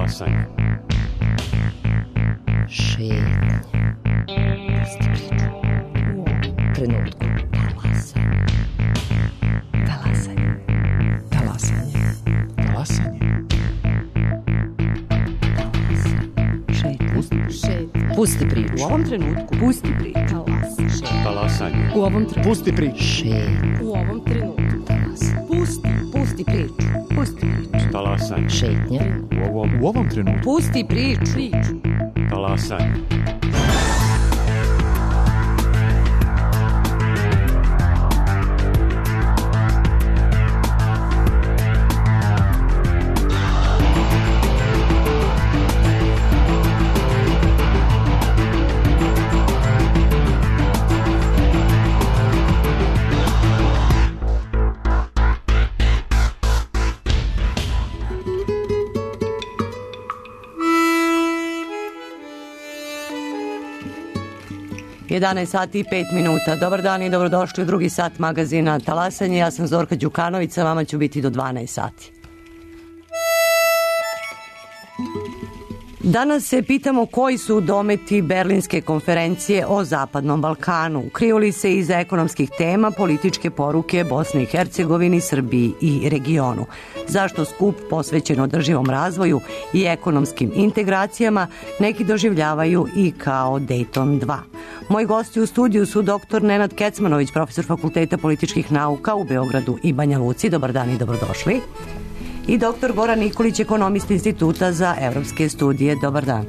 Talasanje. Šetnje. Pusti priču. U ovom trenutku. Talasanje. Talasanje. Talasanje. Šetnje. Pusti priču. U ovom trenutku. Pusti priču. Talasanje. U ovom trenutku. Pusti priču. Šetnje. U ovom trenutku. Pusti priču. Pusti priču. Talasanje. Šetnje. U ovom trenutku. Pusti priču. Talasanje. Jedanaest sati i 5 minuta. Dobar dan i dobrodošli u drugi sat magazina Talasanje. Ja sam Zorka Đukanović, sa vama ću biti do 12 sati. Danas se pitamo koji su dometi Berlinske konferencije o Zapadnom Balkanu. Kriju li se iza ekonomskih tema političke poruke Bosni i Hercegovini, Srbiji i regionu? Zašto skup posvećen održivom razvoju i ekonomskim integracijama neki doživljavaju i kao Dayton 2? Moji gosti u studiju su dr. Nenad Kecmanović, profesor Fakulteta političkih nauka u Beogradu i Banja Luci. Dobar dan i dobrodošli. I dr. Goran Nikolić, ekonomist Instituta za evropske studije. Dobar dan.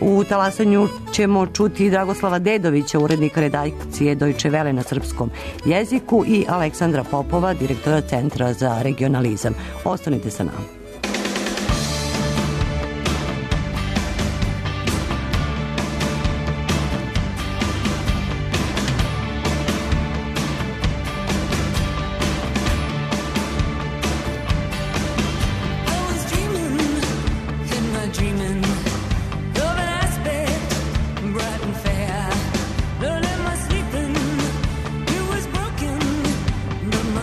U Talasanju ćemo čuti Dragoslava Dedovića, urednika redakcije Deutsche Welle na srpskom jeziku, i Aleksandra Popova, direktora Centra za regionalizam. Ostanite sa nama.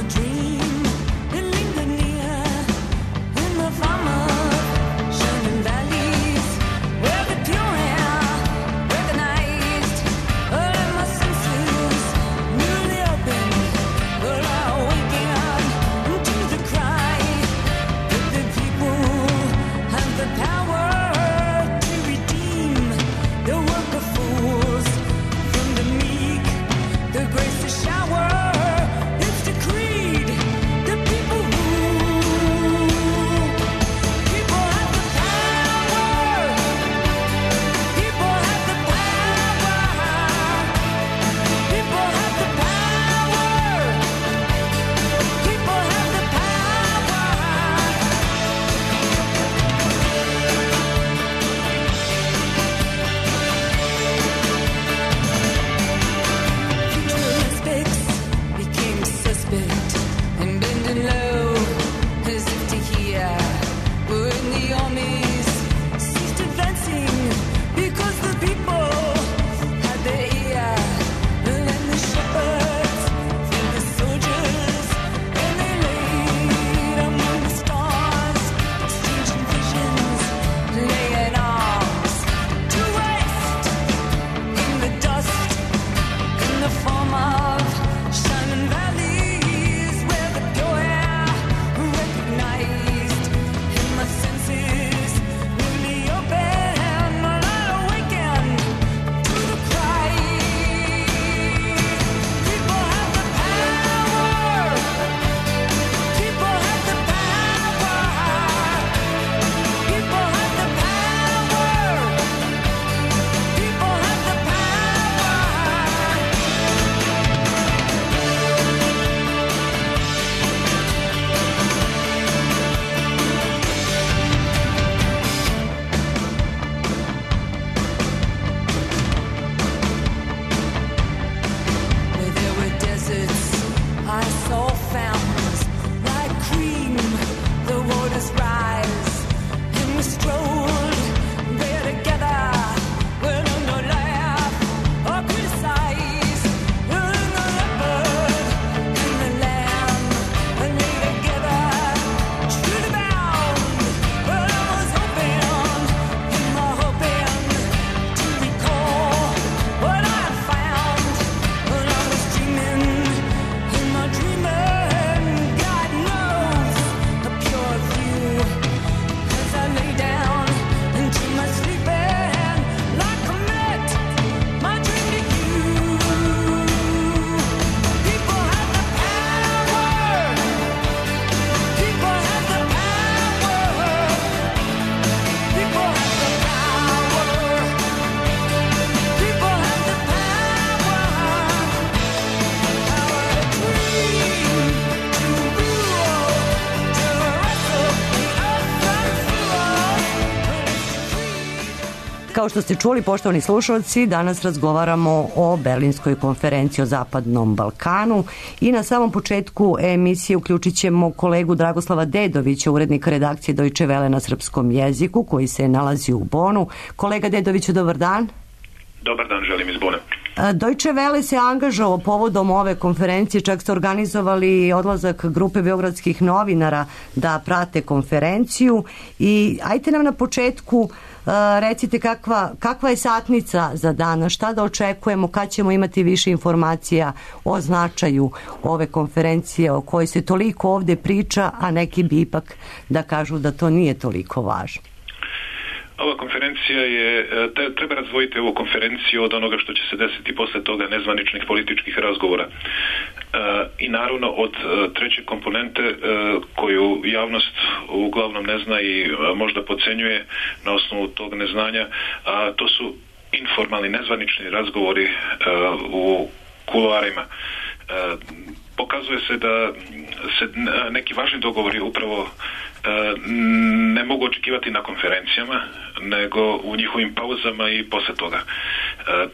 Dream, it lingered near Kao što ste čuli, poštovani slušalci, danas razgovaramo o Berlinskoj konferenciji o Zapadnom Balkanu i na samom početku emisije uključit ćemo kolegu Dragoslava Dedovića, urednika redakcije Deutsche Welle na srpskom jeziku, koji se nalazi u Bonu. Kolega Dedoviću, dobar dan. Dobar dan, želim iz Bona. Deutsche Welle se angažovao povodom ove konferencije, čak ste organizovali odlazak grupe beogradskih novinara da prate konferenciju i ajte nam na početku recite kakva je satnica za danas, šta da očekujemo, kad ćemo imati više informacija o značaju ove konferencije o kojoj se toliko ovde priča, a neki bi ipak da kažu da to nije toliko važno. Ova konferencija je, treba razdvojiti ovu konferenciju od onoga što će se desiti posle toga, nezvaničnih političkih razgovora. I naravno od treće komponente koju javnost uglavnom ne zna i možda podcenjuje na osnovu tog neznanja, a to su informalni, nezvanični razgovori u kuloarima. Pokazuje se da se neki važni dogovori upravo ne mogu očekivati na konferencijama, nego u njihovim pauzama i posle toga.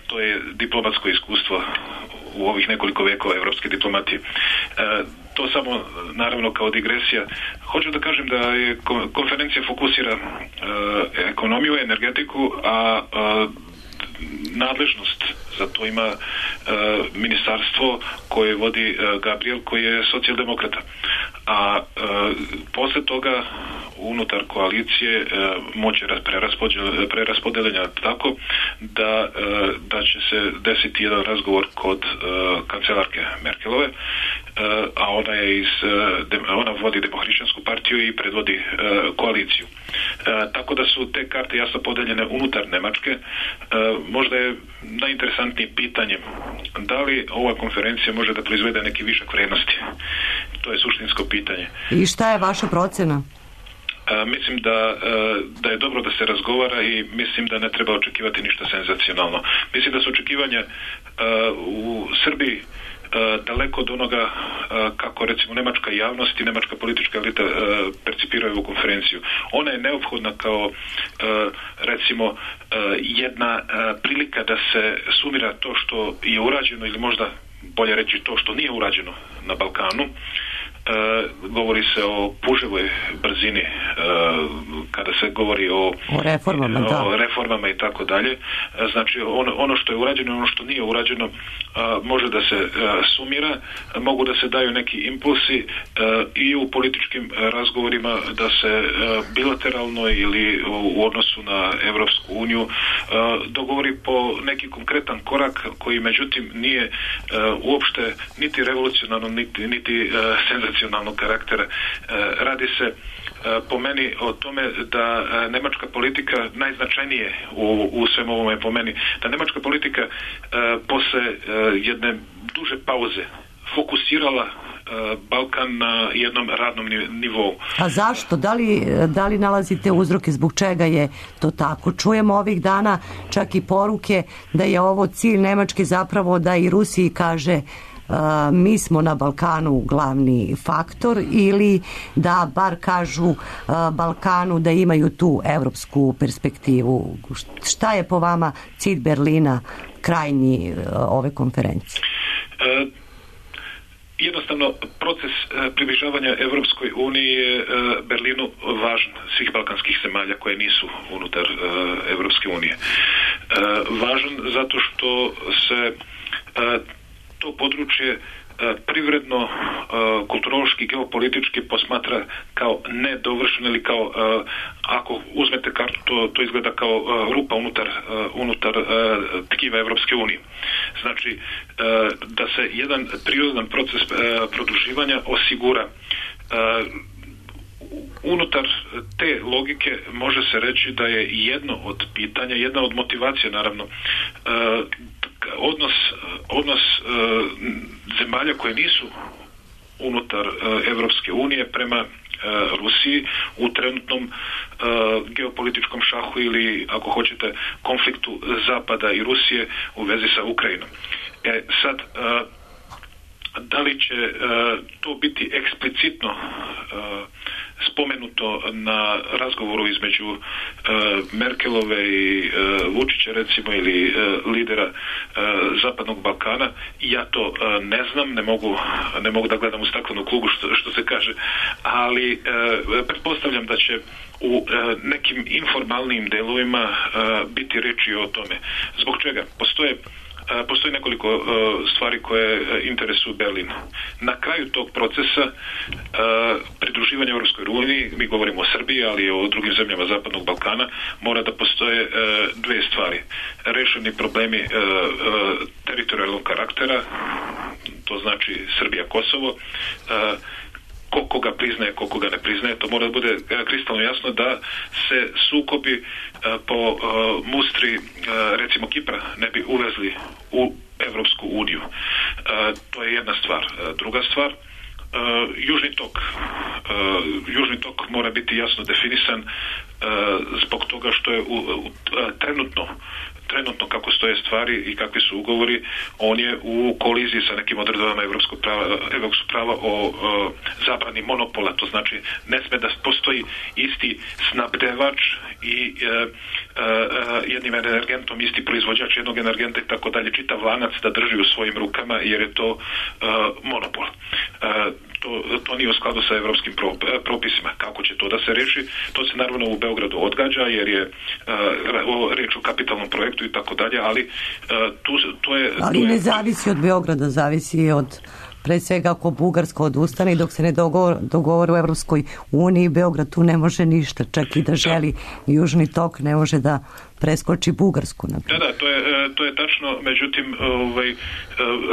To je diplomatsko iskustvo u ovih nekoliko vekova evropske diplomatije. To samo, naravno, kao digresija. Hoću da kažem da je konferencija fokusira ekonomiju, energetiku, a nadležnost za to ima ministarstvo koje vodi Gabriel, koji je socijaldemokrata. A posle toga unutar koalicije moće preraspodeljenja tako da će se desiti jedan razgovor kod kancelarke Merkelove, a ona vodi Demohrišćansku partiju i predvodi koaliciju. Tako da su te karte jasno podeljene unutar Nemačke. Možda je najinteresantnije pitanje da li ova konferencija može da proizvede neki višak vrednosti. To je suštinsko pitanje. I šta je vaša procena? Mislim da je dobro da se razgovara i mislim da ne treba očekivati ništa senzacionalno. Mislim da su očekivanja u Srbiji daleko od onoga kako recimo nemačka javnost i nemačka politička elita percipiraju ovu konferenciju. Ona je neophodna kao recimo jedna prilika da se sumira to što je urađeno ili možda bolje reći to što nije urađeno na Balkanu. Govori se o puževoj brzini kada se govori o reformama i tako dalje. Znači ono što je urađeno, ono što nije urađeno može da se sumira, mogu da se daju neki impulsi i u političkim razgovorima da se bilateralno ili u odnosu na Evropsku uniju dogovori po neki konkretan korak koji međutim nije uopšte niti revolucionarno niti senzacionalnog karaktera. Radi se po meni o tome da nemačka politika najznačajnije u svem ovome po meni, da nemačka politika posle jedne duže pauze fokusirala Balkan na jednom radnom nivou. A zašto? Da li nalazite uzroke zbog čega je to tako? Čujemo ovih dana čak i poruke da je ovo cilj Nemačke zapravo da i Rusiji kaže mi smo na Balkanu glavni faktor ili da bar kažu Balkanu da imaju tu evropsku perspektivu. Šta je po vama cilj Berlina krajnji ove konferencije? Jednostavno, proces približavanja Evropskoj uniji je Berlinu važan, svih balkanskih zemalja koje nisu unutar Evropske unije. Važan zato što se to područje privredno, kulturološki, geopolitički posmatra kao nedovršeno ili kao, ako uzmete kartu, to izgleda kao rupa unutar tkiva Evropske unije. Znači, da se jedan prirodan proces produživanja osigura. Unutar te logike može se reći da je jedno od pitanja, jedna od motivacija naravno, odnos zemalja koje nisu unutar Evropske unije prema Rusiji u trenutnom geopolitičkom šahu ili, ako hoćete, konfliktu Zapada i Rusije u vezi sa Ukrajinom. Sad, da li će to biti eksplicitno spomenuto na razgovoru između Merkelove i Vučića recimo ili lidera Zapadnog Balkana, ja to ne znam, ne mogu da gledam u staklenu kuglu što se kaže, ali pretpostavljam da će u nekim informalnim delovima biti reči o tome. Zbog čega? Postoji nekoliko stvari koje interesuju Berlin. Na kraju tog procesa pridruživanja Europskoj uniji, mi govorimo o Srbiji, ali i o drugim zemljama Zapadnog Balkana, mora da postoje dve stvari. Rešeni problemi teritorijalnog karaktera, to znači Srbija-Kosovo, koga priznaje, koga ne priznaje, to mora da bude kristalno jasno da se sukobi po mustri recimo Kipra ne bi uvezli u Evropsku uniju. To je jedna stvar. Druga stvar, Južni tok mora biti jasno definisan zbog toga što je trenutno kako stoje stvari i kakvi su ugovori, on je u koliziji sa nekim odredbama evropskog prava o zabrani monopola. To znači ne sme da postoji isti snabdevač i jednim energentom isti proizvođač jednog energenta i tako dalje, čitav lanac da drži u svojim rukama jer je to monopol. To nije u skladu sa evropskim propisima. Kako će to da se reši? To se naravno u Beogradu odgađa jer je reč o kapitalnom projektu i tako dalje, ali to ne zavisi od Beograda, zavisi od pre svega ako Bugarska odustane i dok se ne dogovore u Evropskoj uniji, Beograd tu ne može ništa, čak i da želi Južni tok ne može da preskoči Bugarsku. Da, to je tačno, međutim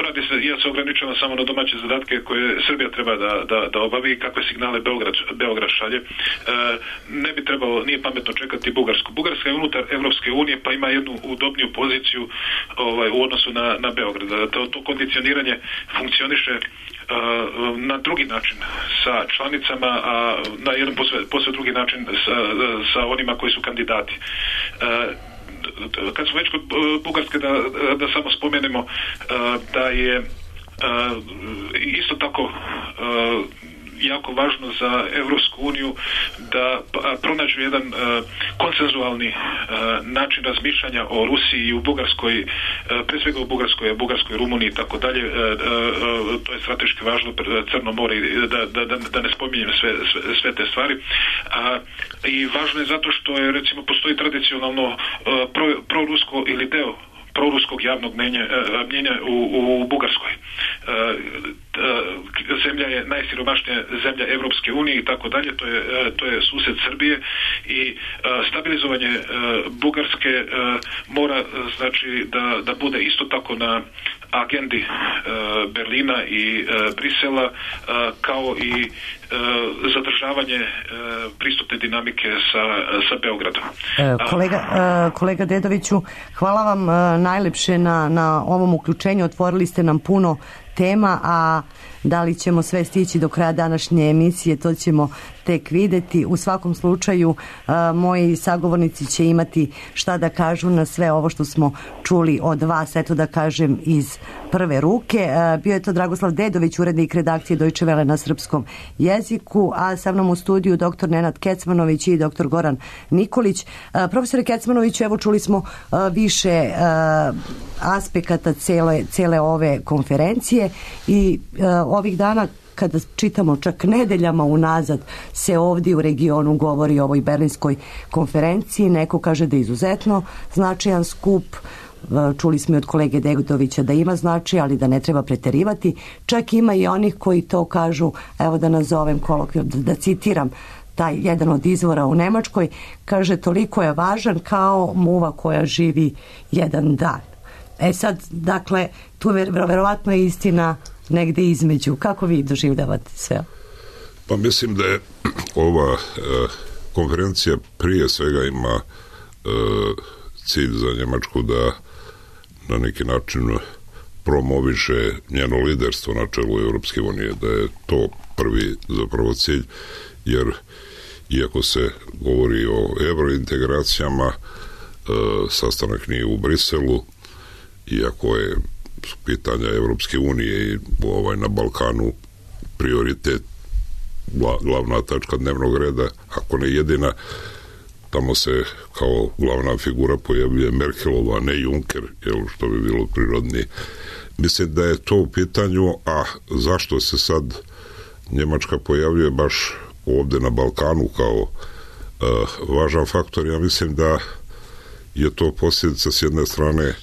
radi se, ja se ograničavam samo na domaće zadatke koje Srbija treba da obavi i kakve signale Beograd šalje. Ne bi trebalo, nije pametno čekati Bugarsku. Bugarska je unutar Evropske unije pa ima jednu udobniju poziciju u odnosu na Beograd. To kondicioniranje funkcioniše na drugi način sa članicama, a na jedan posve drugi način sa onima koji su kandidati. Kad smo već kod Bugarske, da samo spomenemo da je isto tako jako važno za Evropsku uniju da pronađu jedan konsenzualni način razmišljanja o Rusiji i u Bugarskoj, pre svega u Bugarskoj, Rumuniji i tako dalje. To je strateški važno, Crno more, da ne spominjem sve te stvari. I važno je zato što je, recimo, postoji tradicionalno prorusko ili deo proruskog javnog mnjenja u Bugarskoj. Zemlja je najsiromašnija zemlja Evropske unije i tako dalje, to je sused Srbije i stabilizovanje Bugarske mora znači da bude isto tako na agendi Berlina i Brisela kao i zadržavanje pristupne dinamike sa Beogradom. Kolega Dedoviću, hvala vam najlepše na ovom uključenju. Otvorili ste nam puno tema, a da li ćemo sve stići do kraja današnje emisije, to ćemo tek videti. U svakom slučaju, moji sagovornici će imati šta da kažu na sve ovo što smo čuli od vas, eto da kažem iz prve ruke. Bio je to Dragoslav Dedović, urednik redakcije Deutsche Welle na srpskom jeziku, a sa mnom u studiju dr. Nenad Kecmanović i dr. Goran Nikolić. Profesore Kecmanoviću, evo čuli smo više aspekata cele ove konferencije i ovih dana kada čitamo čak nedeljama unazad se ovdje u regionu govori o ovoj berlinskoj konferenciji. Neko kaže da je izuzetno značajan skup. Čuli smo i od kolege Degotovića da ima značaj, ali da ne treba preterivati. Čak ima i onih koji to kažu, evo da nazovem kolokvijalno, da citiram taj jedan od izvora u Nemačkoj, kaže toliko je važan kao muva koja živi jedan dan. Sad, dakle, tu verovatno je istina negde između. Kako vi doživljavate sve? Pa mislim da je ova konferencija prije svega ima cilj za Njemačku da na neki način promoviše njeno liderstvo na čelu Europske unije, da je to prvi zapravo cilj, jer iako se govori o evrointegracijama, sastanak nije u Briselu, iako je pitanja Evropske unije i na Balkanu prioritet, glavna tačka dnevnog reda, ako ne jedina. Tamo se kao glavna figura pojavljuje Merkelova, ne Juncker, što bi bilo prirodnije. Mislim da je to u pitanju, a zašto se sad Njemačka pojavljuje baš ovde na Balkanu kao važan faktor? Ja mislim da je to posljedica s jedne strane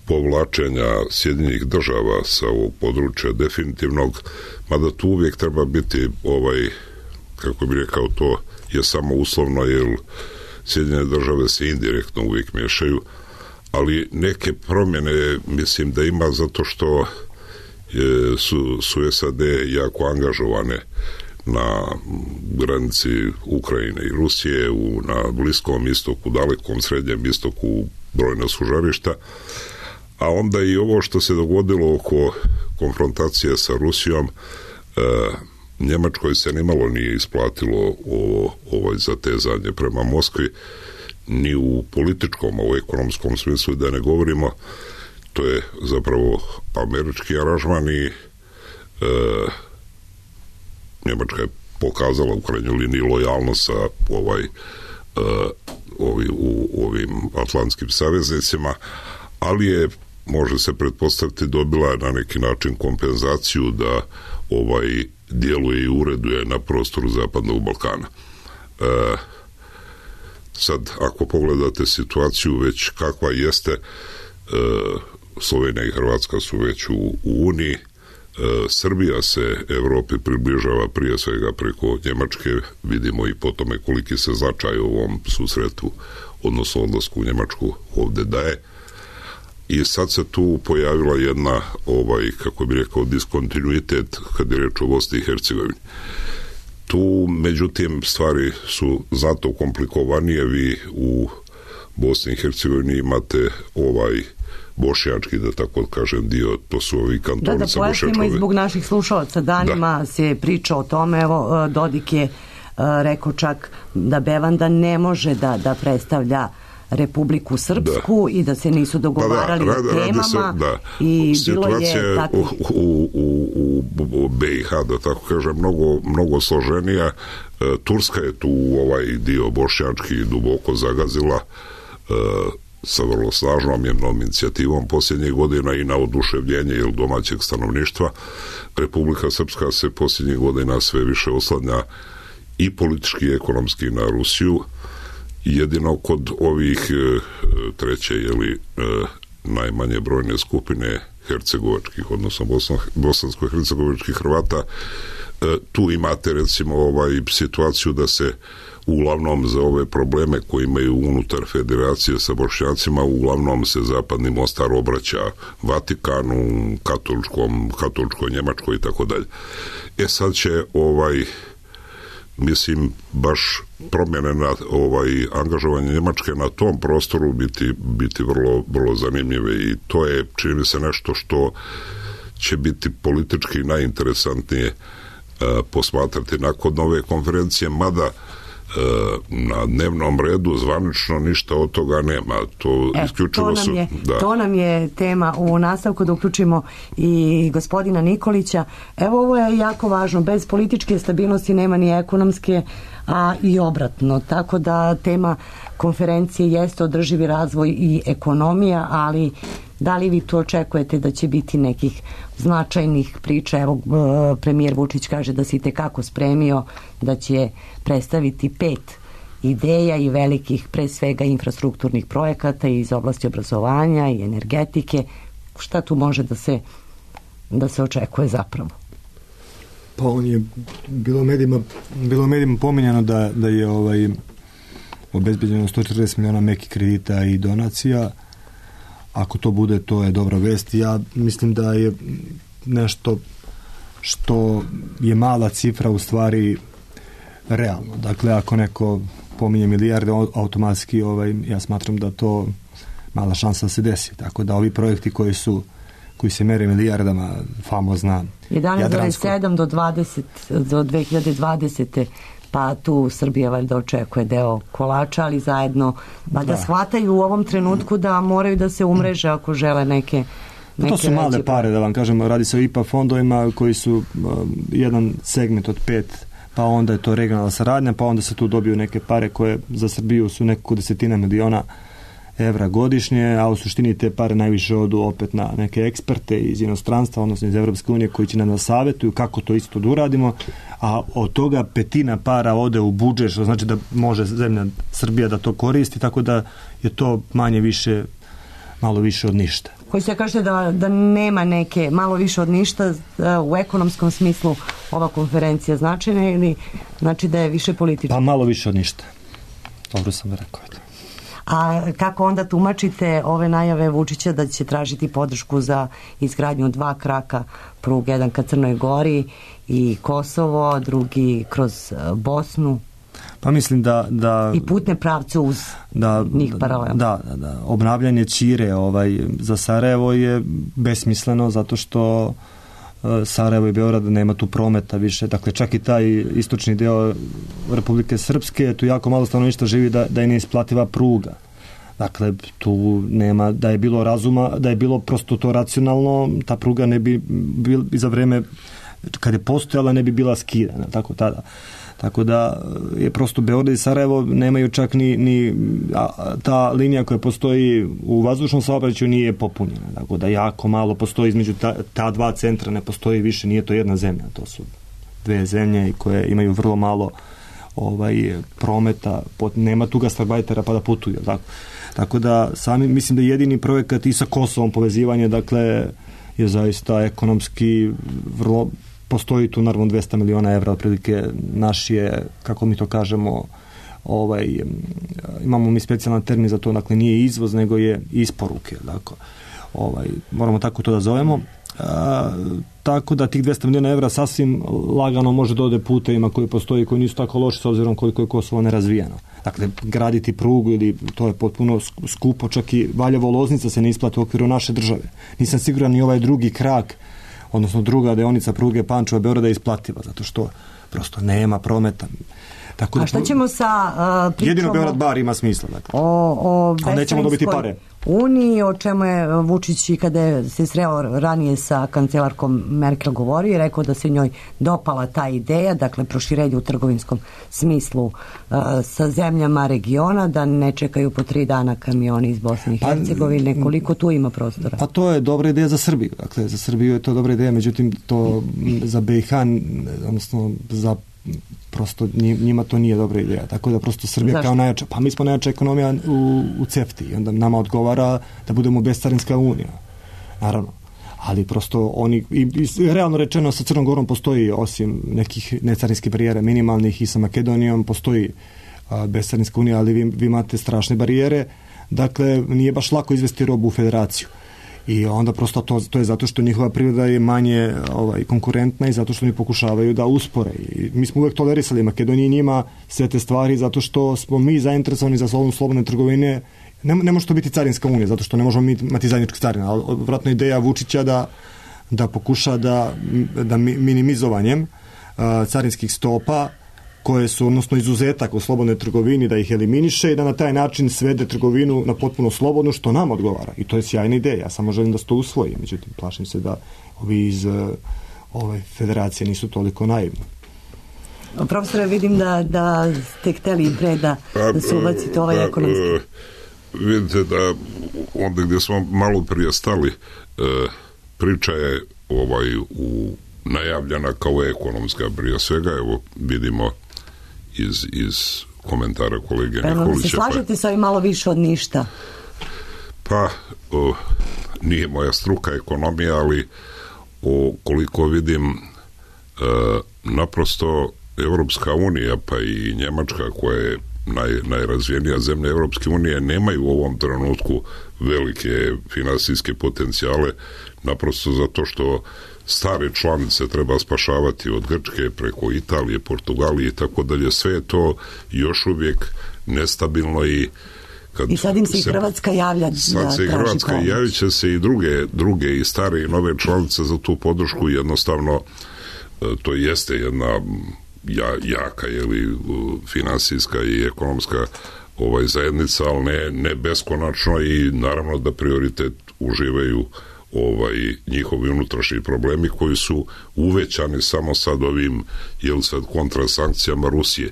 povlačenja Sjedinjenih država sa ovog područja definitivnog, mada tu uvijek treba biti kako bi rekao, to je samo uslovno, jer Sjedinjene države se indirektno uvijek miješaju, ali neke promjene mislim da ima zato što su SAD jako angažovane na granici Ukrajine i Rusije, na Bliskom istoku, dalekom srednjem istoku, brojna su žarišta, a onda i ovo što se dogodilo oko konfrontacije sa Rusijom, Njemačkoj se nimalo nije isplatilo ovo zatezanje prema Moskvi, ni u političkom, a u ekonomskom smislu da ne govorimo. To je zapravo američki aranžman i Njemačka je pokazala u krajnjoj liniji lojalnost sa ovim atlantskim saveznicima, ali je, može se pretpostaviti, dobila na neki način kompenzaciju da djeluje i ureduje na prostoru Zapadnog Balkana. Sad, ako pogledate situaciju već kakva jeste, Slovenija i Hrvatska su već u Uniji, Srbija se Evropi približava prije svega preko Njemačke, vidimo i po tome koliki se značaj u ovom susretu, odnosno odlasku u Njemačku ovde daje. I sad se tu pojavila jedna, kako bi rekao, diskontinuitet kad je reč o Bosni i Hercegovini. Tu, međutim, stvari su zato komplikovanije. Vi u Bosni i Hercegovini imate bošnjački, da tako kažem, dio, to su ovi kantoni sa bošnjačkove. Da pojasnimo i zbog naših slušalaca, danima se priča o tome, evo, Dodik je rekao čak da Bevanda ne može da predstavlja Republiku Srpsku i da se nisu dogovarali o temama i bilo je tako. U BiH, da tako kažem, mnogo složenija. Turska je tu dio bošnjački duboko zagazila sa vrlo snažnom jednom inicijativom posljednjih godina i na oduševljenje domaćeg stanovništva. Republika Srpska se posljednjih godina sve više oslanja i politički i ekonomski na Rusiju. Jedino kod ovih treće najmanje brojne skupine hercegovačkih, odnosno bosansko-hercegovačkih Hrvata, tu imate recimo situaciju da se uglavnom za ove probleme koje imaju unutar federacije sa Bošnjacima, uglavnom se Zapadni Mostar obraća Vatikanu, katoličkoj Njemačkoj i tako dalje. Sad će mislim, baš promjene na angažovanje Njemačke na tom prostoru biti vrlo, vrlo zanimljive i to je, čini mi se, nešto što će biti politički najinteresantnije posmatrati nakon ove konferencije, mada na dnevnom redu zvanično ništa od toga nema. To nam je tema u nastavku, da uključimo i gospodina Nikolića. Evo, ovo je jako važno. Bez političke stabilnosti nema ni ekonomske, a i obratno. Tako da tema konferencije jeste održivi razvoj i ekonomija, ali da li vi tu očekujete da će biti nekih značajnih priča? Evo, premijer Vučić kaže da se itekako spremio, da će predstaviti 5 ideja i velikih, pre svega, infrastrukturnih projekata iz oblasti obrazovanja i energetike. Šta tu može da se očekuje zapravo? Pa on je bilo medijima pominjano da je obezbeđeno 140 miliona mekih kredita i donacija. Ako to bude, to je dobra vest. Ja mislim da je nešto što je mala cifra u stvari realno. Dakle, ako neko pominje milijarde, automatski ja smatram da to mala šansa da se desi. Tako da ovi projekti koji se mere milijardama, famozna 11,7 do 2020. Pa tu Srbija valjda očekuje deo kolača, ali zajedno da shvataju u ovom trenutku da moraju da se umreže ako žele neke To su male pare, da vam kažem, radi se o IPA fondovima koji su jedan segment od 5, pa onda je to regionalna saradnja, pa onda se tu dobiju neke pare koje za Srbiju su nekoliko desetina miliona evra godišnje, a u suštini te pare najviše odu opet na neke eksperte iz inostranstva, odnosno iz Evropske unije, koji će nam savjetuju kako to isto da uradimo, a od toga 1/5 para ode u budžet, što znači da može zemlja Srbija da to koristi, tako da je to manje više, malo više od ništa. Koji se kaže da nema neke malo više od ništa u ekonomskom smislu ova konferencija značajna ili znači da je više politička? Pa malo više od ništa. Dobro sam rekao. A kako onda tumačite ove najave Vučića da će tražiti podršku za izgradnju 2 kraka pruge, jedan ka Crnoj Gori i Kosovo, drugi kroz Bosnu? Pa mislim da i putne pravce uz njih paralelno. Da. Obnavljanje ćire za Sarajevo je besmisleno zato što Sarajevo i Beograd nema tu prometa više. Dakle, čak i taj istočni deo Republike Srpske, tu jako malo stanovništva živi da je neisplativa pruga. Dakle, tu nema, da je bilo razuma, da je bilo prosto to racionalno, ta pruga ne bi za vreme kad je postojala ne bi bila skidana, tako tada. Tako da je prosto Beograd i Sarajevo nemaju čak ni ta linija koja postoji u vazdušnom saobraćaju nije popunjena. Tako da jako malo postoji između ta 2 centra, ne postoji više, nije to jedna zemlja, to su 2 zemlje koje imaju vrlo malo prometa, nema tu gastarbajtera pa da putuju. Tako da sami mislim da jedini projekat i sa Kosovom povezivanje, dakle, je zaista ekonomski vrlo. Postoji tu naravno 200 miliona evra, otprilike naš je, kako mi to kažemo, imamo mi specijalan termin za to, dakle nije izvoz, nego je isporuke. Dakle, moramo tako to da zovemo. Tako da tih 200 miliona evra sasvim lagano može da ode putevima koji postoji, koji nisu tako loši s obzirom koliko je Kosovo nerazvijeno. Dakle, graditi prugu ili to je potpuno skupo, čak i Valjevo-Loznica se ne isplati u okviru naše države. Nisam siguran ni ovaj drugi krak, odnosno druga deonica pruge Pančevo-Beograda je isplativa, zato što prosto nema prometa. Tako a šta ćemo sa pričom? Jedino Beograd bar ima smisla. Dakle. O nećemo dobiti pare. Uniji, o čemu je Vučić i kada se sreo ranije sa kancelarkom Merkel govorio i rekao da se njoj dopala ta ideja, dakle proširenje u trgovinskom smislu sa zemljama regiona, da ne čekaju po 3 dana kamioni iz Bosne i Hercegovine, koliko tu ima prostora? Pa to je dobra ideja za Srbiju. Dakle, za Srbiju je to dobra ideja, međutim to za BiH, odnosno za prosto njima to nije dobra ideja. Tako da prosto Srbija Zašto? Kao najjača, pa mi smo najjača ekonomija u CEFTA i onda nama odgovara da budemo bescarinska unija. Naravno. Ali prosto oni, i realno rečeno sa Crnom Gorom postoji, osim nekih necarinskih barijera minimalnih, i sa Makedonijom postoji bescarinska unija, ali vi imate strašne barijere. Dakle, nije baš lako izvesti robu u federaciju. I onda prosto to je zato što njihova privreda je manje konkurentna i zato što oni pokušavaju da uspore. I mi smo uvek tolerisali Makedoniji njima sve te stvari zato što smo mi zainteresovani za slobodne trgovine. Ne može to biti carinska unija, zato što ne možemo imati zajedničke carine. Ali vratno ideja Vučića da pokuša da minimizovanjem carinskih stopa koje su, odnosno izuzetak u slobodnoj trgovini, da ih eliminiše i da na taj način svede trgovinu na potpuno slobodnu, što nam odgovara. I to je sjajna ideja. Ja samo želim da se to usvoji. Međutim, plašim se da ovi iz ove federacije nisu toliko naivni. Profesore, vidim da ste hteli i pre da se ubacite ovaj ekonomski. Vidite da onda gdje smo malo prije stali, priča je najavljena kao ekonomska, prije svega, evo vidimo iz komentara kolege Nikolića. Se slažete sa ovim malo više od ništa? Pa, nije moja struka ekonomija, ali koliko vidim, naprosto Evropska unija, pa i Njemačka, koja je najrazvijenija zemlja Evropske unije, nemaju u ovom trenutku velike finansijske potencijale, naprosto zato što stare članice treba spašavati od Grčke preko Italije, Portugalije i tako dalje. Sve je to još uvijek nestabilno i sad im se i Hrvatska javlja. Sad se i Hrvatska javit će se i druge i stare i nove članice za tu podršku. Jednostavno to jeste jedna jaka finansijska i ekonomska zajednica, ali ne beskonačno, i naravno da prioritet uživaju njihovi unutrašnji problemi koji su uvećani samo sad ovim sad kontrasankcijama Rusije.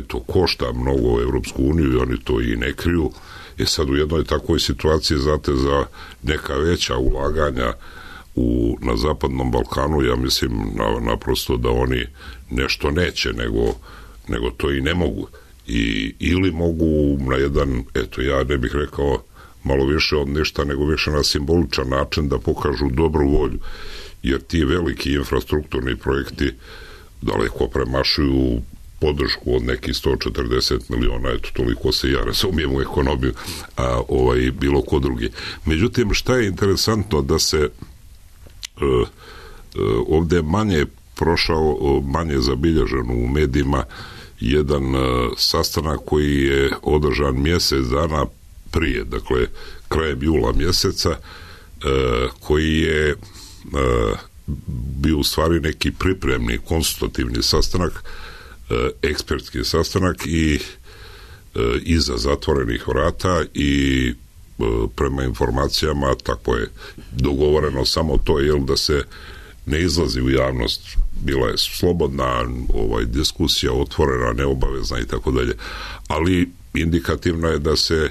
To košta mnogo Evropsku uniju i oni to i ne kriju. Sad u jednoj takvoj situaciji, znate, za neka veća ulaganja na Zapadnom Balkanu, ja mislim naprosto da oni nešto neće, nego to i ne mogu. Ili mogu na jedan, ja ne bih rekao malo više od ništa, nego više na simboličan način da pokažu dobru volju, jer ti veliki infrastrukturni projekti daleko premašuju podršku od nekih 140 miliona, toliko se ja razumijem u ekonomiju, a bilo ko drugi. Međutim, šta je interesantno da se ovde manje zabilježen u medijima jedan sastanak koji je održan mjesec dana prije, dakle krajem jula mjeseca, koji je bio u stvari neki pripremni, konsultativni sastanak, ekspertski sastanak i iza zatvorenih vrata i prema informacijama tako je dogovoreno samo to da se ne izlazi u javnost. Bila je slobodna diskusija, otvorena, neobavezna i tako dalje, ali indikativno je da se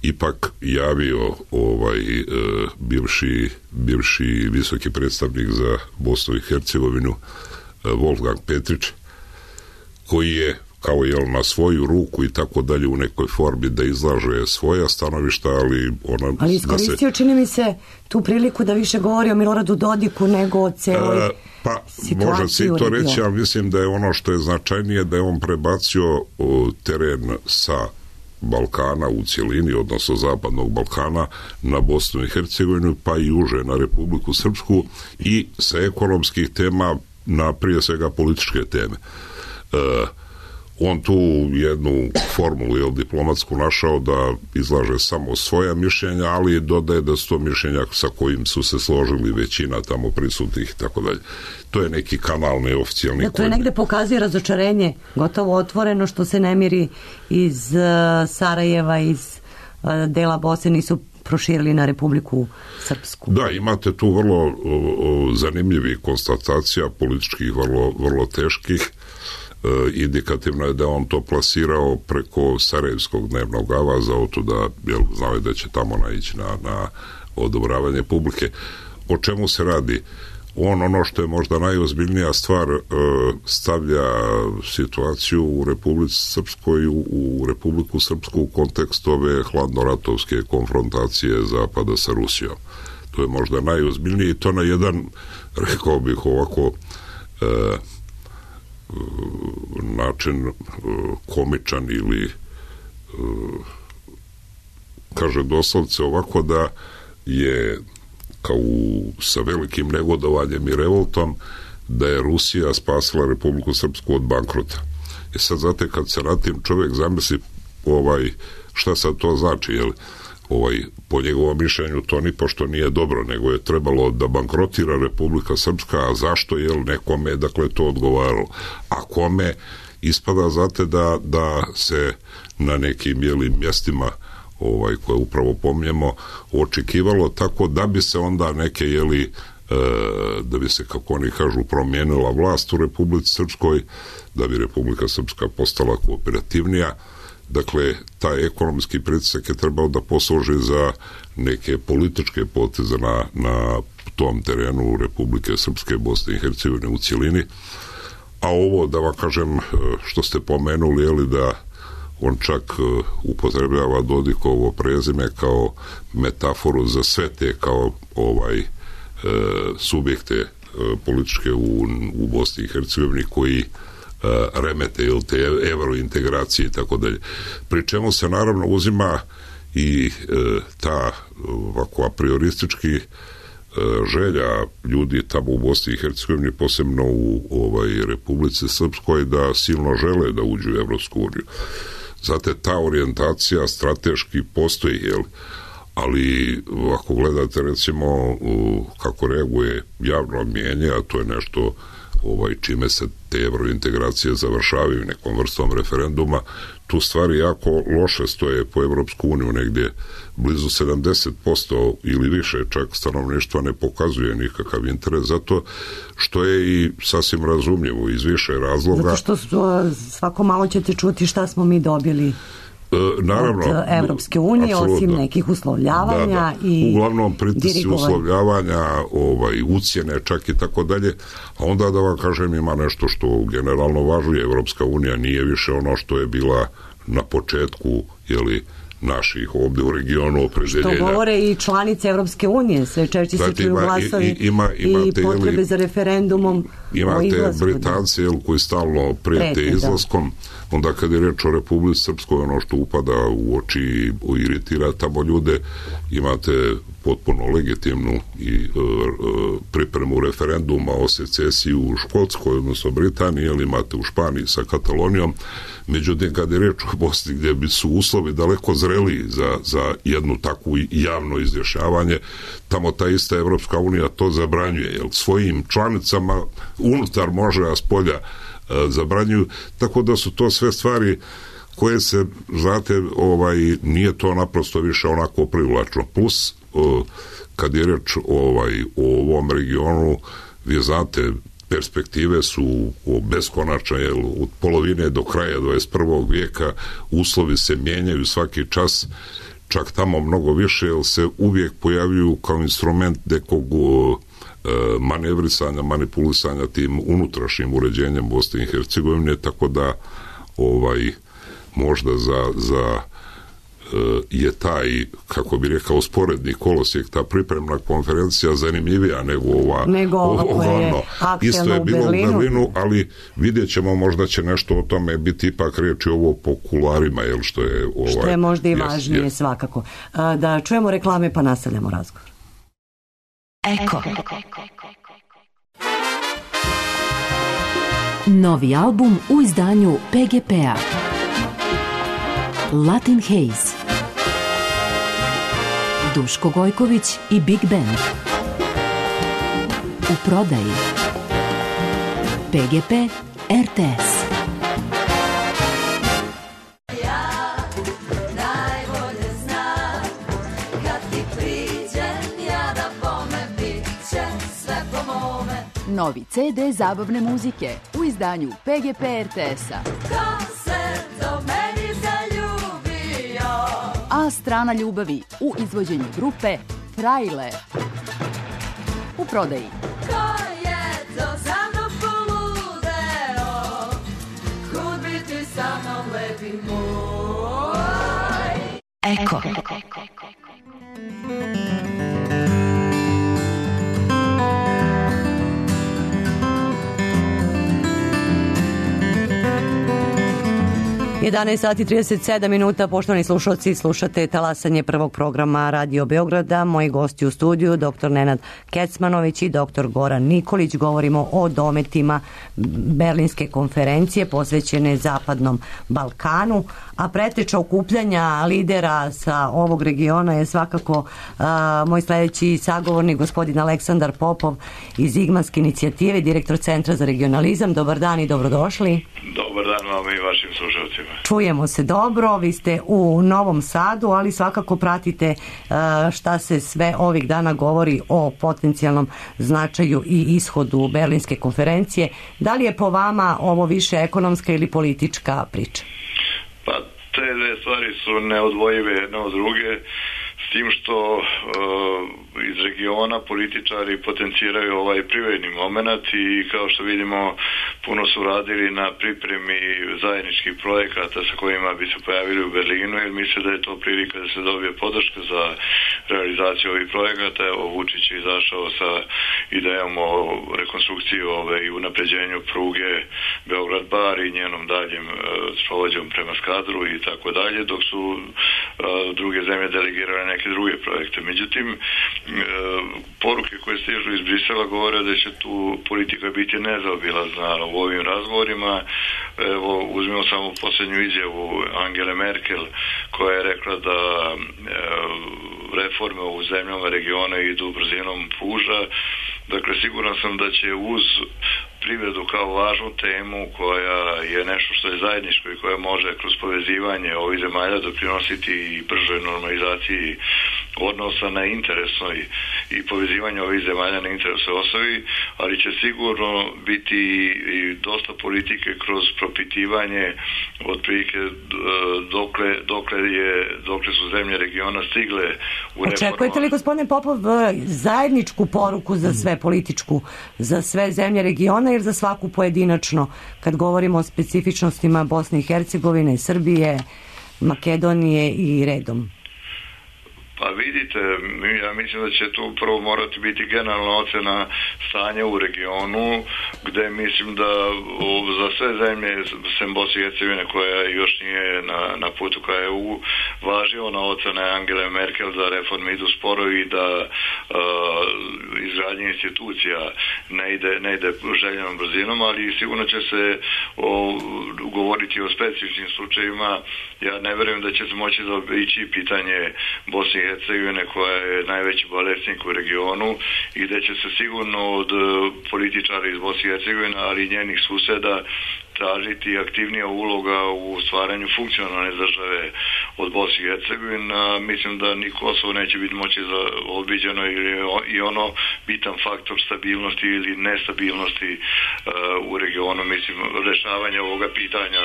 ipak javio bivši visoki predstavnik za Bosnu i Hercegovinu Wolfgang Petrić, koji je kao na svoju ruku i tako dalje u nekoj formi da izlaže svoja stanovišta, ali iskoristio čini mi se tu priliku da više govori o Miloradu Dodiku nego o celoj situaciji. Može se i to reći, ali mislim da je ono što je značajnije da je on prebacio teren sa Balkana u cjelini, odnosno Zapadnog Balkana na Bosnu i Hercegovinu, pa i uže na Republiku Srpsku i sa ekonomskih tema na prije svega političke teme. On tu jednu formulu diplomatsku našao da izlaže samo svoja mišljenja, ali dodaje da su to mišljenja sa kojim su se složili većina tamo prisutnih i tako dalje. To je neki kanal neoficijalni. To je negde pokazuje razočarenje, gotovo otvoreno, što se nemiri iz Sarajeva, iz dela Bosne nisu proširili na Republiku Srpsku. Da, imate tu vrlo zanimljivih konstatacija, političkih vrlo teških. Indikativno je da on to plasirao preko Sarajevskog dnevnog avaza, da znao je da će tamo naići na odobravanje publike. O čemu se radi? Ono što je možda najozbiljnija stvar, stavlja situaciju u Republici Srpskoj, u Republiku Srpsku u kontekstu ove hladnoratovske konfrontacije Zapada sa Rusijom. To je možda najozbiljnije i to na jedan, rekao bih ovako, način komičan ili kaže doslovce ovako da je kao sa velikim negodovanjem i revoltom da je Rusija spasila Republiku Srpsku od bankrota. I sad znate, kad se na tim čovjek zamisli šta sad to znači, po njegovom mišljenju to ni pošto nije dobro, nego je trebalo da bankrotira Republika Srpska, a zašto nekome to odgovaralo? A kome ispada, znate, da se na nekim mjestima koje upravo pominjemo očekivalo tako da bi se onda neke da bi se, kako oni kažu, promijenila vlast u Republici Srpskoj, da bi Republika Srpska postala kooperativnija. Dakle, taj ekonomski pritisak je trebao da posluži za neke političke poteze na tom terenu Republike Srpske, Bosne i Hercegovine u cjelini. A ovo, da vam kažem, što ste pomenuli, da on čak upotrebljava Dodikovo prezime kao metaforu za sve te kao subjekte političke u Bosni i Hercegovini koji remete te evrointegracije i tako dalje. Pri čemu se naravno uzima i ta ovako a prioristički želja ljudi tamo u Bosni i Hercegovini, posebno u Republici Srpskoj, da silno žele da uđu u Evropsku uniju. Znate, ta orijentacija strateški postoji, ali ako gledate recimo kako reaguje javno mnijenje, a to je nešto čime se te evrointegracije završavaju nekom vrstom referenduma, tu stvari jako loše stoje po Evropsku uniju, negdje blizu 70% ili više čak stanovništva ne pokazuje nikakav interes, zato što je i sasvim razumljivo iz više razloga. Zato što svako malo ćete čuti šta smo mi dobili naravno, od Evropske unije, osim nekih uslovljavanja i uglavnom pritisci uslovljavanja, ucjene čak i tako dalje, a onda da vam kažem ima nešto što generalno važi, Evropska unija nije više ono što je bila na početku, naših ovdje u regionu opredeljenja. Što govore i članice Evropske unije, sve češće se čuju glasovi i potrebe za referendumom. Imate Britance koji stalno prijete izlaskom, onda kad je reč o Republici Srpskoj, ono što upada u oči i iritira tamo ljude, imate potpuno legitimnu i pripremu referenduma o secesiji u Škotskoj, odnosno Britaniji, ili imate u Španiji sa Katalonijom. Međutim, kad je reč o Bosni, gdje bi su uslovi daleko zreliji za jednu takvu javno izjašnjavanje, tamo ta ista Evropska unija to zabranjuje, jer svojim članicama unutar može, a spolja zabranjuju, tako da su to sve stvari koje se, znate, nije to naprosto više onako privlačno. Plus, kad je reč o ovom regionu, vi znate, perspektive su beskonačne, jer od polovine do kraja 21. vijeka uslovi se mijenjaju svaki čas, čak tamo mnogo više, jer se uvijek pojavljuju kao instrument nekog manevrisanja, manipulisanja tim unutrašnjim uređenjem Bosne i Hercegovine, tako da možda za je taj, kako bi rekao, sporedni kolosijek, ta pripremna konferencija zanimljivija nego ova isto je bilo u Berlinu, ali vidjet ćemo, možda će nešto o tome biti ipak riječi ovo po kularima, što je možda i važnije svakako. Da čujemo reklame pa nastavljamo razgovor. Eko. Novi album u izdanju PGP-a. Latin Haze. Duško Gojković i Big Band. U prodaji. PGP RTS. Novi CD zabavne muzike u izdanju PGP RTS-a. A strana ljubavi u izvođenju grupe Trailer. U prodaji. Ko je to za mnom poludeo, kud bi ti sa mnom lepi moj. Eko. 11 sati 37 minuta, poštovani slušalci, slušate talasanje prvog programa Radio Beograda. Moji gosti u studiju, dr. Nenad Kecmanović i dr. Goran Nikolić. Govorimo o dometima Berlinske konferencije posvećene Zapadnom Balkanu, a preteča okupljanja lidera sa ovog regiona je svakako moj sljedeći sagovornik, gospodin Aleksandar Popov iz Igmanske inicijative, direktor Centra za regionalizam. Dobar dan i dobrodošli. Dobar dan vam i vašim slušalcima. Čujemo se dobro, vi ste u Novom Sadu, ali svakako pratite šta se sve ovih dana govori o potencijalnom značaju i ishodu Berlinske konferencije. Da li je po vama ovo više ekonomska ili politička priča? Pa te dve stvari su neodvojive jedna od druge, s tim što iz regiona političari potenciraju ovaj privredni moment i kao što vidimo puno su radili na pripremi zajedničkih projekata sa kojima bi se pojavili u Berlinu, jer misle da je to prilika da se dobije podrška za realizaciju ovih projekata. Evo, Vučić je izašao sa idejom o rekonstrukciji i unapređenju pruge Beograd-Bar i njenom daljem sprovođenjem prema Skadru i tako dalje, dok su druge zemlje delegirale neke druge projekte. Međutim, poruke koje stižu iz Brisela govore da će tu politika biti nezaobilazna u ovim razgovorima. Evo, uzmimo samo posljednju izjavu Angele Merkel, koja je rekla da reforme u zemljama regiona idu brzinom puža. Dakle, siguran sam da će uz privredu kao važnu temu koja je nešto što je zajedničko i koja može kroz povezivanje ovih zemalja doprinositi i bržoj normalizaciji odnosa na interesnoj i povezivanje ovih zemalja na interesnoj osnovi, ali će sigurno biti i dosta politike kroz propitivanje otprilike dokle su zemlje regiona stigle u reformama. Očekujete li, gospodine Popov, zajedničku poruku za sve političku, za sve zemlje regiona ili za svaku pojedinačno, kad govorimo o specifičnostima Bosne i Hercegovine, Srbije, Makedonije i redom? Pa vidite, ja mislim da će tu prvo morati biti generalna ocena stanja u regionu, gde mislim da za sve zemlje sem Bosne i Hercegovine koja još nije na putu ka EU, važi ona ocena Angele Merkel da reforme idu sporo i da izgradnje institucija ne ide željenom brzinom, ali sigurno će se govoriti o specifičnim slučajevima. Ja ne verujem da će se moći ići pitanje Bosne i Hercegovine koja je najveći bolesnik u regionu i da će se sigurno od političara iz Bosne i Hercegovine, ali i njenih suseda tražiti aktivnija uloga u stvaranju funkcionalne države od Bosne i Hercegovine. Mislim da ni Kosovo neće biti moći odbiđeno i ono bitan faktor stabilnosti ili nestabilnosti u regionu. Mislim, rešavanje ovoga pitanja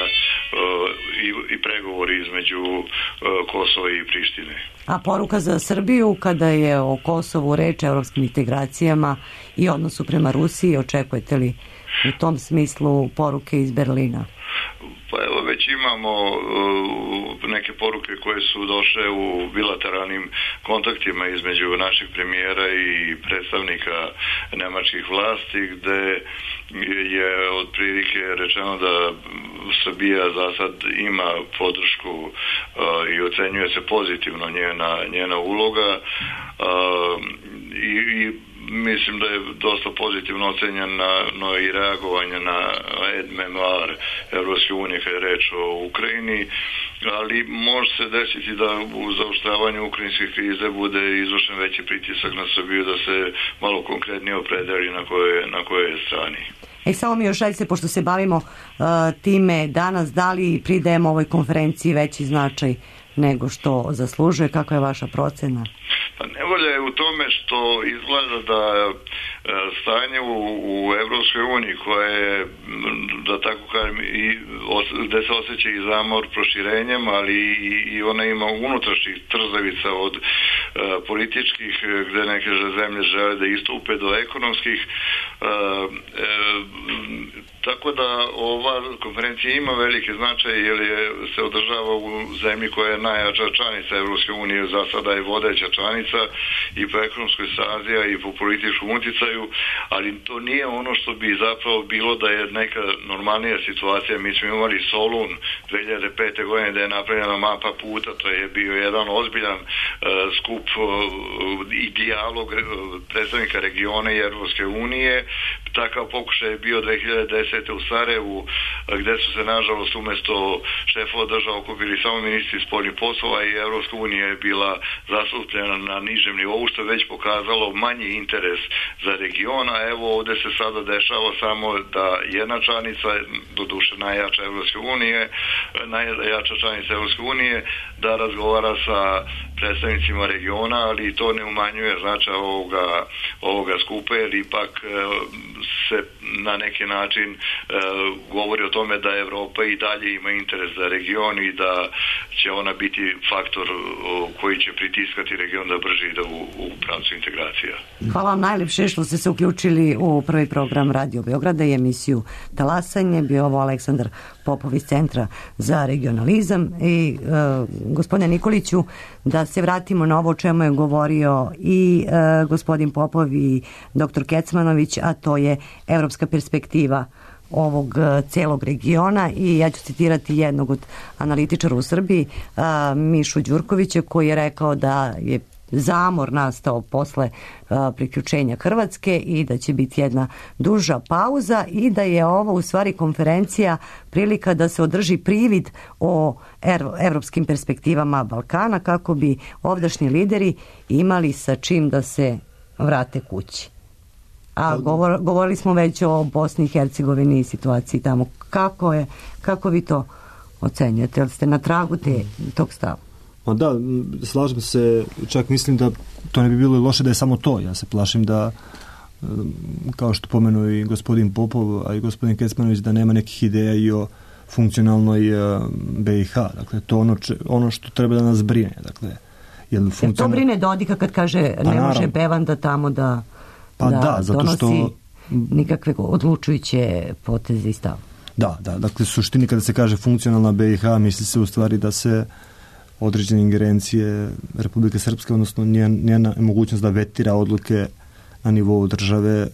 i pregovori između Kosova i Prištine. A poruka za Srbiju kada je o Kosovu reč, evropskim integracijama i odnosu prema Rusiji, očekujete li u tom smislu poruke iz Berlina? Pa evo, već imamo neke poruke koje su došle u bilateralnim kontaktima između naših premijera i predstavnika nemačkih vlasti, gde je otprilike rečeno da Srbija za sad ima podršku i ocenjuje se pozitivno njena uloga i mislim da je dosta pozitivno ocenjeno i reagovanje na aide-memoire Evropske unije kada je reč o Ukrajini, ali može se desiti da u zaoštravanju ukrajinske krize bude izvršen veći pritisak na Srbiju da se malo konkretnije opredeli na kojoj je strani. Samo mi još ajde, pošto se bavimo time danas, da li pridajemo ovoj konferenciji veći značaj nego što zaslužuje? Kakva je vaša procena? Pa nevolja je u tome što izgleda da stanje u Evropskoj uniji koje je, da tako kažem, gde se osjeća i zamor proširenjem, ali i ona ima unutrašnjih trzavica od političkih, gde neke zemlje žele da istupe, do ekonomskih. Tako da ova konferencija ima velike značaje jer se održava u zemlji koja je najjača članica Evropske unije, za sada je vodeća članica i po ekonomskoj snazi i po političkom uticaju, ali to nije ono što bi zapravo bilo da je neka normalnija situacija. Mi smo imali Solun 2005. godine da je napravljena mapa puta, to je bio jedan ozbiljan skup i dijalog predstavnika regiona i Evropske unije. Takav pokušaj je bio 2010. u Sarajevu, gde su se nažalost umesto šefova država okupili samo ministri spoljnih poslova i Evropska unija je bila zastupljena na nižem nivou, što je već pokazalo manji interes za region, a evo ovde se sada dešava samo da jedna članica, doduše najjača Evropske unije, najjača članica Evropske unije, da razgovara sa predstavnicima regiona, ali to ne umanjuje značaj ovoga skupa, jer ipak se na neki način govori o tome da Evropa i dalje ima interes za region i da će ona biti faktor koji će pritiskati region da brže ide u pravcu integracija. Hvala vam najlepše što ste se uključili u prvi program Radio Beograda i emisiju Talasanje. Bio ovo Aleksandar Popov iz Centra za regionalizam. I gospodine Nikoliću, da se vratimo na ovo o čemu je govorio i gospodin Popov i doktor Kecmanović, a to je evropska perspektiva ovog celog regiona, i ja ću citirati jednog od analitičara u Srbiji, Mišu Đurkovića, koji je rekao da je zamor nastao posle priključenja Hrvatske i da će biti jedna duža pauza i da je ovo u stvari konferencija prilika da se održi privid o evropskim perspektivama Balkana kako bi ovdašnji lideri imali sa čim da se vrate kući. A govorili smo već o Bosni i Hercegovini i situaciji tamo. Kako vi to ocenjujete? Jel ste na tragu tog stava? Pa da, slažem se, čak mislim da to ne bi bilo loše da je samo to. Ja se plašim da, kao što pomenuo i gospodin Popov, a i gospodin Kecmanović, da nema nekih ideja i o funkcionalnoj BiH. Dakle, to ono što treba da nas brine. Dakle, jer to brine Dodika kad kaže ne može Bevanda tamo da donosi nikakve odlučujuće poteze i stav. Da, dakle, suštini kada se kaže funkcionalna BiH, misli se u stvari da se određene ingerencije Republike Srpske, odnosno njena mogućnost da vetira odluke na nivou države,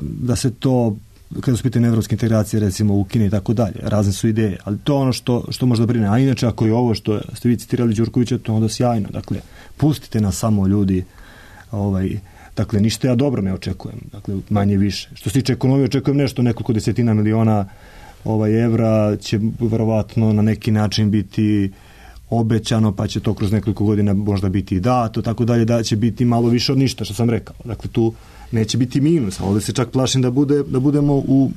da se to, kada su pitanje evropske integracije, recimo ukine i tako dalje. Razne su ideje, ali to je ono što možda brine. A inače, ako je ovo što ste vi citirali Đurkovića, to je onda sjajno. Dakle, pustite nas samo, ljudi. Dakle, ništa ja dobro ne očekujem. Dakle, manje više. Što se tiče ekonomije, očekujem nešto, nekoliko desetina miliona evra će verovatno na neki način biti obećano, pa će to kroz nekoliko godina možda biti i dato, tako dalje, da će biti malo više od ništa, što sam rekao. Dakle, tu neće biti minus, a ovdje se čak plašim da budemo u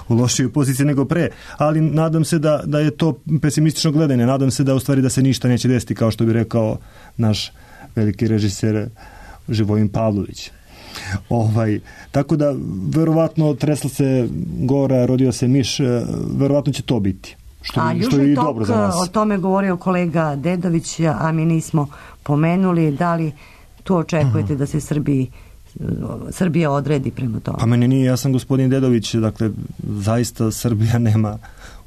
lošijoj poziciji nego pre, ali nadam se da je to pesimistično gledanje, nadam se da u stvari da se ništa neće desiti, kao što bi rekao naš veliki režiser Živojin Pavlović. Tako da, verovatno, tresla se gora, rodio se miš, verovatno će to biti. A Južni tok, o tome govorio kolega Dedović, a mi nismo pomenuli. Da li tu očekujete da se Srbija odredi prema tome? Pa meni nije jasan gospodin Dedović, dakle, zaista Srbija nema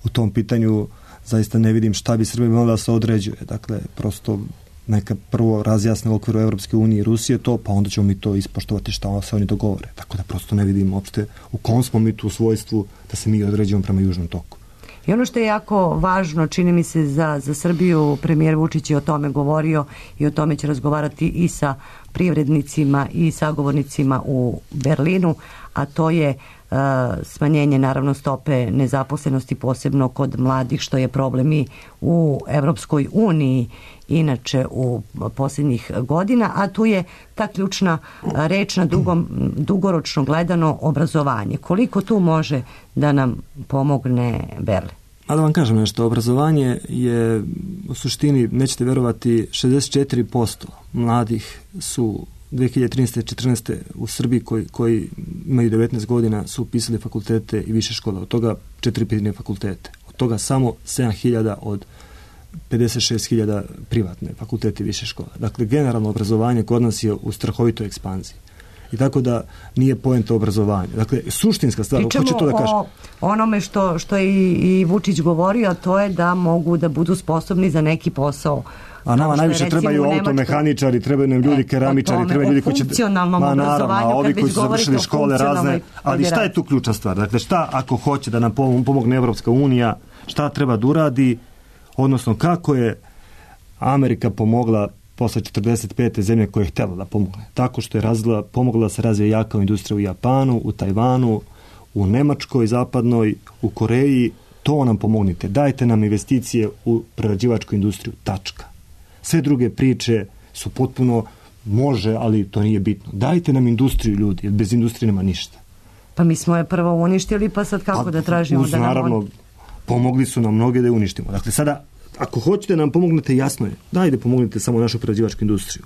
u tom pitanju, zaista ne vidim šta bi Srbija mogla da se određuje. Dakle, prosto neka prvo razjasne u okviru Evropske unije i Rusije to, pa onda ćemo mi to ispoštovati šta se oni dogovore. Tako da prosto ne vidim uopšte u kom smo mi tu u svojstvu da se mi određujemo prema Južnom toku. I ono što je jako važno, čini mi se za Srbiju, premijer Vučić je o tome govorio i o tome će razgovarati i sa privrednicima i sagovornicima u Berlinu, a to je smanjenje naravno stope nezaposlenosti, posebno kod mladih, što je problem i u Evropskoj uniji inače u posljednjih godina, a tu je ta ključna reč na dugoročno gledano obrazovanje. Koliko tu može da nam pomogne Berlin? A da vam kažem nešto, obrazovanje je u suštini, nećete verovati, 64% mladih su 2013-14 u Srbiji koji imaju 19 godina su upisali fakultete i više škola, od toga 4 privatne fakultete, od toga samo 7.000 od 56.000 privatne fakultete i više škola. Dakle, generalno obrazovanje kod nas je u strahovitoj ekspanziji. I tako da nije poenta obrazovanja. Dakle, suštinska stvar, hoće to da kažem. Pričamo o onome što je i Vučić govorio, a to je da mogu da budu sposobni za neki posao. A nama najviše trebaju automehaničari, trebaju nam ljudi keramičari, trebaju ljudi koji će... funkcionalnom obrazovanju, ovi koji su završili škole razne. Ali šta je tu ključna stvar? Dakle, šta ako hoće da nam pomogne Evropska unija, šta treba da uradi, odnosno kako je Amerika pomogla posle 45. zemlje koje je htjela da pomogne. Tako što je pomogla da se razvije jaka industrija u Japanu, u Tajvanu, u Nemačkoj, zapadnoj, u Koreji. To nam pomognite. Dajte nam investicije u prerađivačku industriju. Tačka. Sve druge priče su potpuno može, ali to nije bitno. Dajte nam industriju, ljudi, jer bez industrije nema ništa. Pa mi smo je prvo uništili, pa sad kako da tražimo da nam... Naravno, pomogli su nam mnoge da je uništimo. Dakle, sada, ako hoćete da nam pomognete, jasno je. Dajte pomognite samo našu prerađivačku industriju.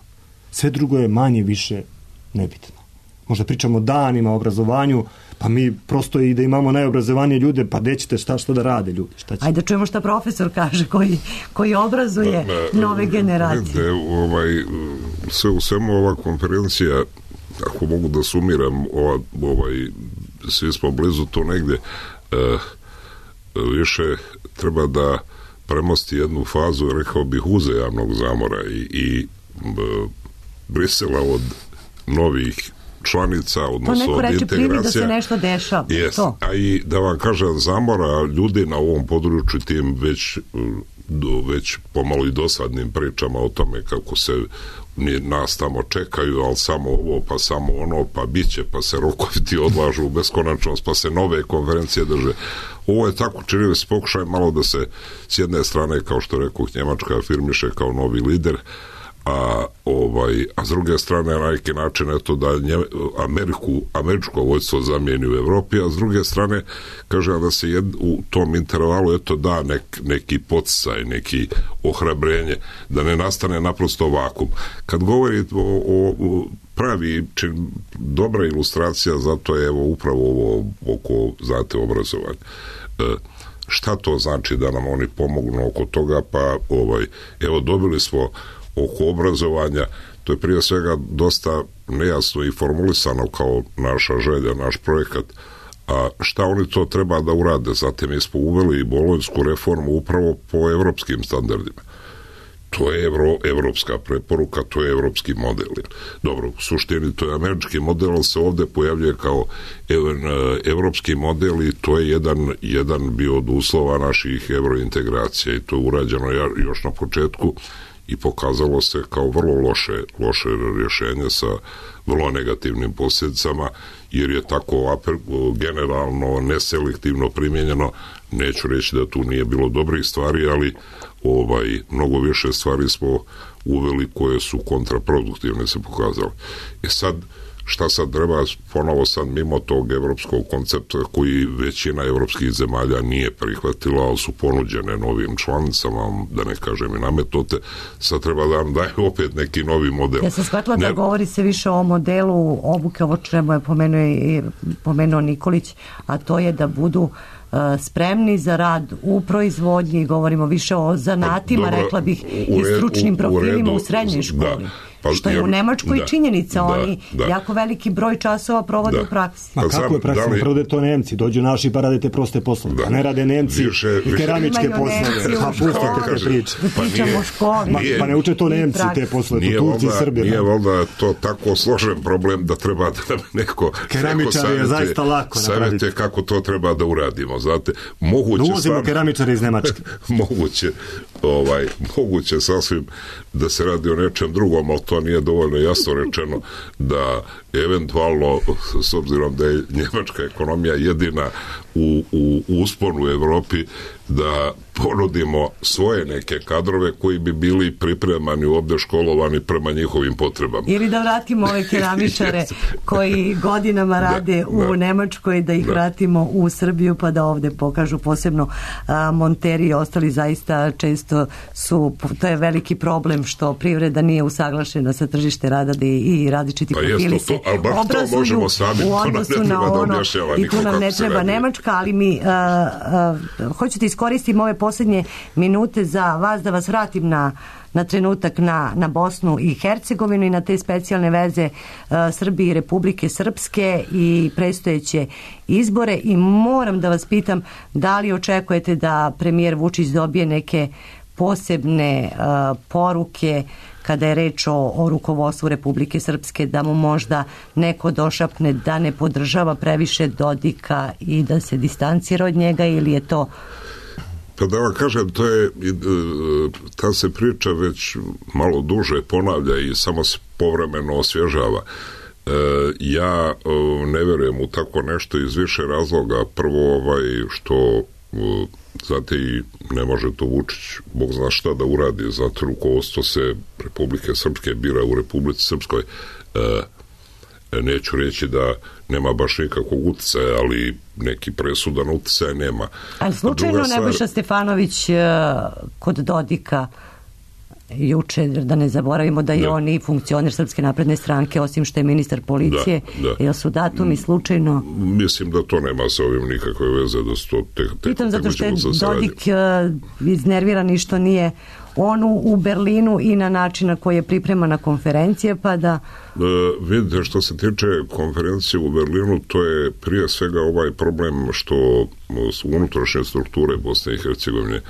Sve drugo je manje više nebitno. Možda pričamo danima o obrazovanju, pa mi prosto i da imamo najobrazovanije ljude, pa gde ćete šta da rade ljudi? Ajde da čujemo šta profesor kaže koji obrazuje nove generacije. Sve u svemu ova konferencija, ako mogu da sumiram, svi smo blizu to negdje, više treba da premosti jednu fazu, rekao bih, uzajamnog zamora i Brisela od novih članica, odnosno od integracija. Da se nešto dešava. Yes. A i da vam kažem, zamora ljudi na ovom području tim već pomalo i dosadnim pričama o tome kako se nas tamo čekaju, ali samo ovo, pa samo ono, pa biće, pa se rokovi ti odlažu u beskonačnost, pa se nove konferencije drže. Ovo je tako, čini mi se pokušaj malo da se s jedne strane, kao što rekao, Njemačka afirmiše kao novi lider, a s druge strane na neki način eto da američko vojstvo zamijeni u Evropi, a s druge strane kaže da se u tom intervalu eto da neki podsticaj, neki ohrabrenje, da ne nastane naprosto vakum. Kad govorite o pravi dobra ilustracija, zato je evo upravo ovo oko, znate, obrazovanja. Šta to znači da nam oni pomognu oko toga? Pa evo dobili smo oko obrazovanja, to je prije svega dosta nejasno i formulisano kao naša želja, naš projekat, a šta oni to treba da urade? Zatim mi smo uveli i bolonjsku reformu upravo po evropskim standardima. To je evropska preporuka, to je evropski model. Dobro, u suštini to je američki model, ali se ovde pojavljuje kao evropski model i to je jedan bio od uslova naših evrointegracija i to je urađeno još na početku i pokazalo se kao vrlo loše rješenje sa vrlo negativnim posljedicama, jer je tako generalno, neselektivno primjenjeno. Neću reći da tu nije bilo dobrih stvari, ali mnogo više stvari smo uveli koje su kontraproduktivne se pokazale. Sad, šta sad treba ponovo sad mimo tog evropskog koncepta koji većina evropskih zemalja nije prihvatila, ali su ponuđene novim članicama, da ne kažem i nametnute, sad treba da nam daju opet neki novi model. Ja sam shvatila da govori se više o modelu obuke, ovo čemu je pomenuo Nikolić, a to je da budu spremni za rad u proizvodnji, govorimo više o zanatima, rekla bih, i stručnim profilima u srednjoj školi. Što je u Nemačkoj činjenica, oni jako veliki broj časova provode u praksi. Ma kako je praksa? Prvo da to Nemci, dođu naši pa radite proste poslove, a ne rade Nemci i keramičke poslove. Pa pustite te priče. Pričamo o školi. Pa ne uče to Nemci te poslove, to Turci i Srbi. Nije valjda to tako složen problem da treba da neko keramičar je zaista lako savjete kako to treba da uradimo. Znate, moguće uvozimo keramičare iz Nemačke. Moguće sasvim da se radi o nečem drugom, ali to nije dovoljno jasno rečeno da eventualno, s obzirom da je njemačka ekonomija jedina u usponu u Evropi, da ponudimo svoje neke kadrove koji bi bili pripremani ovdje, školovani prema njihovim potrebama. Ili da vratimo ove keramičare koji godinama rade u Nemačkoj, da ih vratimo u Srbiju pa da ovdje pokažu, posebno monteri i ostali zaista često su, to je veliki problem što privreda nije usaglašena sa tržište rada da i različiti profili se obrazuju u odnosu na ono i tu nam ne treba Nemačka, ali mi hoću da iskoristim ove posljednje minute za vas da vas vratim na trenutak na Bosnu i Hercegovinu i na te specijalne veze Srbije i Republike Srpske i predstojeće izbore i moram da vas pitam da li očekujete da premijer Vučić dobije neke posebne poruke kada je reč o rukovodstvu Republike Srpske, da mu možda neko došapne da ne podržava previše Dodika i da se distancira od njega, ili je to... Pa da vam kažem, to je, ta se priča već malo duže ponavlja i samo se povremeno osvježava. Ja ne vjerujem u tako nešto iz više razloga. Prvo, što znate, i ne može to Vučić Bog zna šta da uradi, zato rukovodstvo se Republike Srpske bira u Republici Srpskoj. Neću reći da nema baš nikakvog utjecaja, ali neki presudan utjecaj nema. Ali slučajno Nebojša Stefanović kod Dodika juče, da ne zaboravimo da je on i funkcioner Srpske napredne stranke, osim što je ministar policije, jel su datumi slučajno... Mislim da to nema sa ovim nikakve veze, da su to pitam zato što je Dodik iznerviran i što nije on u Berlinu i na način na koji je pripremana konferencija, pa da... Vidite, što se tiče konferencije u Berlinu, to je prije svega ovaj problem što su unutrašnje strukture Bosne i Hercegovine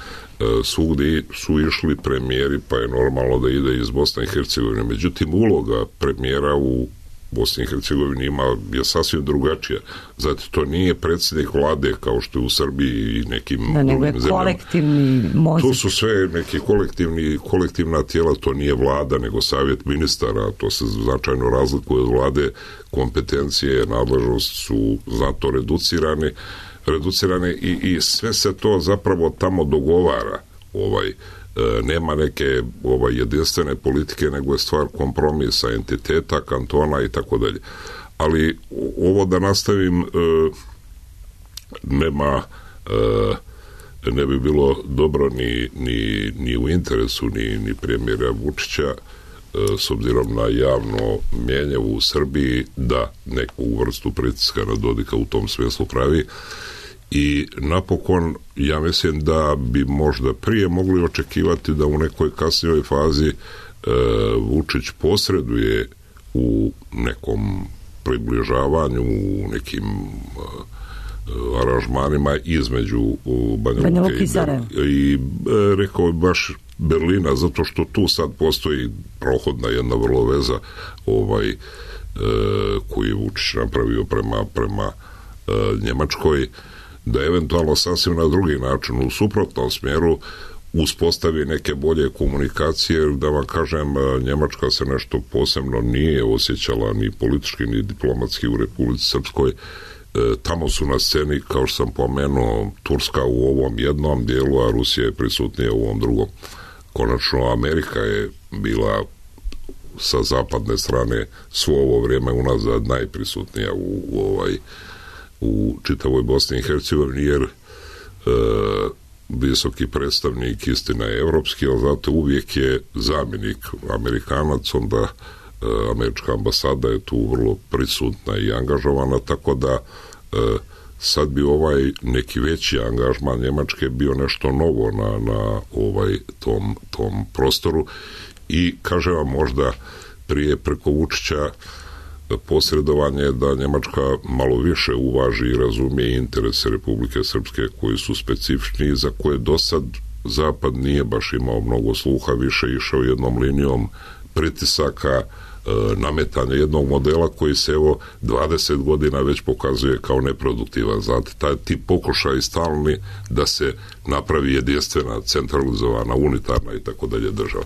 svugdje su išli premijeri, pa je normalno da ide iz Bosne i Hercegovine. Međutim, uloga premijera u Bosni i Hercegovini je sasvim drugačija. Zato to nije predsjednik vlade kao što je u Srbiji i nekim drugim zemljama. Kolektivni mozak. To su sve neki kolektivna tijela, to nije vlada, nego savjet ministara, to se značajno razlikuje od vlade, kompetencije, nadležnost su zato reducirane i sve se to zapravo tamo dogovara. nema neke jedinstvene politike, nego je stvar kompromisa, entiteta, kantona i tako dalje. Ali ovo da nastavim ne bi bilo dobro ni u interesu ni premijera Vučića, s obzirom na javno mjenje u Srbiji, da neku vrstu pritiska na Dodika u tom smislu pravi. I napokon, ja mislim da bi možda prije mogli očekivati da u nekoj kasnijoj fazi Vučić posreduje u nekom približavanju, u nekim aranžmanima između Banja Luke i rekao baš Berlina, zato što tu sad postoji prohodna jedna vrlo veza koju je Vučić napravio prema Njemačkoj, da eventualno sasvim na drugi način, u suprotnom smjeru, uspostavi neke bolje komunikacije. Da vam kažem, Njemačka se nešto posebno nije osjećala ni politički ni diplomatski u Republici Srpskoj. Tamo su na sceni, kao što sam pomenuo, Turska u ovom jednom dijelu, a Rusija je prisutnija u ovom drugom. Konačno, Amerika je bila sa zapadne strane svo ovo vrijeme unazad najprisutnija u čitavoj Bosni i Hercegovini, jer visoki predstavnik, istina je evropski, ali zato uvijek je zamjenik Amerikanac, onda američka ambasada je tu vrlo prisutna i angažovana, tako da sad bi neki veći angažman Njemačke bio nešto novo na tom prostoru i kažem vam, možda prije preko Vučića posredovanje da Njemačka malo više uvaži i razumije interese Republike Srpske koji su specifični i za koje do sad Zapad nije baš imao mnogo sluha, više išao jednom linijom pritisaka, nametanja jednog modela koji se 20 godina već pokazuje kao neproduktivan. Znate, ti pokušaj stalni da se napravi jedinstvena, centralizovana, unitarna i tako dalje država.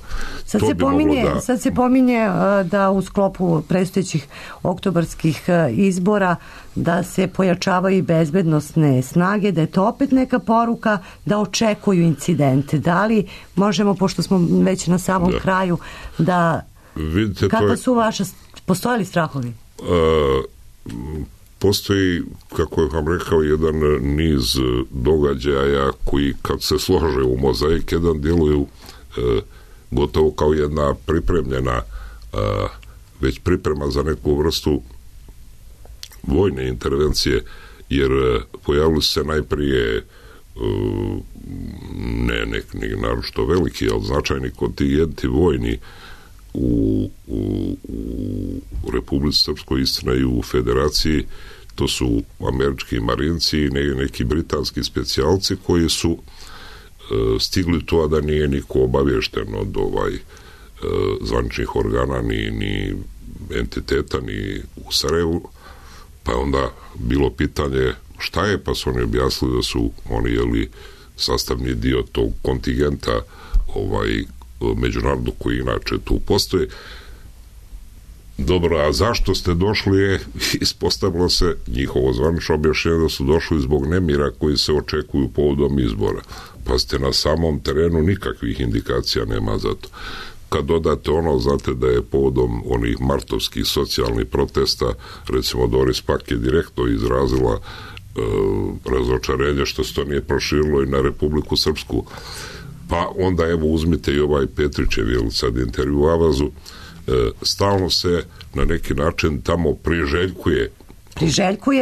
Sad se pominje da u sklopu predstojećih oktobarskih izbora da se pojačavaju i bezbednosne snage, da je to opet neka poruka da očekuju incidente. Da li možemo, pošto smo već na samom kraju, da vidite, kako su vaše, postoje li strahovi? Postoji, kako je vam rekao, jedan niz događaja koji kad se slože u mozaik jedan djeluju gotovo kao jedna pripremljena već priprema za neku vrstu vojne intervencije, jer pojavili se najprije ne neki naročito veliki, ali značajni kontingenti vojni u Republici Srpskoj, istina i u Federaciji. To su američki marinci i neki britanski specijalci koji su stigli to, a da nije niko obavješten od zvaničnih organa ni entiteta ni u Sarajevu, pa je onda bilo pitanje šta je, pa su oni objasnili da su oni sastavni dio tog kontingenta međunarodnog koji inače tu postoji. Dobro, a zašto ste došli? Ispostavilo se njihovo zvanično objašnjenje da su došli zbog nemira koji se očekuju povodom izbora. Pa ste na samom terenu nikakvih indikacija nema za to. Kad dodate znate da je povodom onih martovskih socijalnih protesta, recimo Doris Pak je direktno izrazila razočarenje što se to nije proširilo i na Republiku Srpsku. Pa onda uzmite i Petrićev sad intervju u Avazu, stalno se na neki način tamo priželjkuje,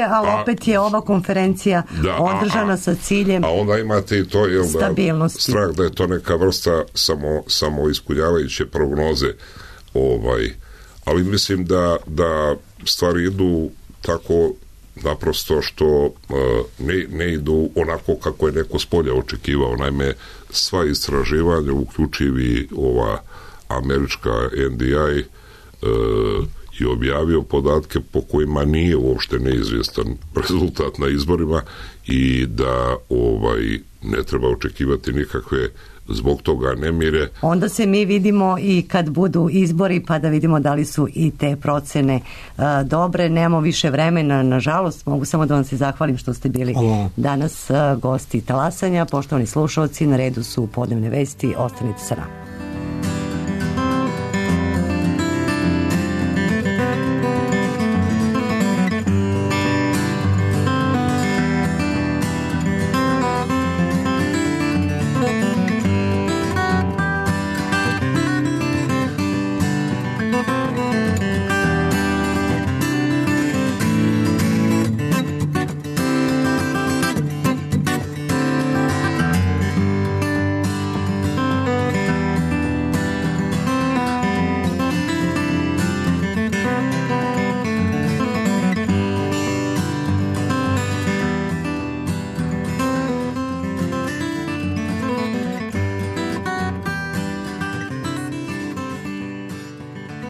ali opet je ova konferencija održana sa ciljem a onda imate i to stabilnosti. Strah da je to neka vrsta samo ispunjavajuće prognoze, ali mislim da stvari idu tako naprosto što ne idu onako kako je neko s polja očekivao. Naime, sva istraživanja, uključivi ova američka NDI, i objavio podatke po kojima nije uopšte neizvjestan rezultat na izborima i da ne treba očekivati nikakve zbog toga nemire. Onda se mi vidimo i kad budu izbori pa da vidimo da li su i te procene dobre. Nemamo više vremena, nažalost. Mogu samo da vam se zahvalim što ste bili danas gosti Talasanja. Poštovani slušalci, na redu su podnevne vesti. Ostanite sa nama.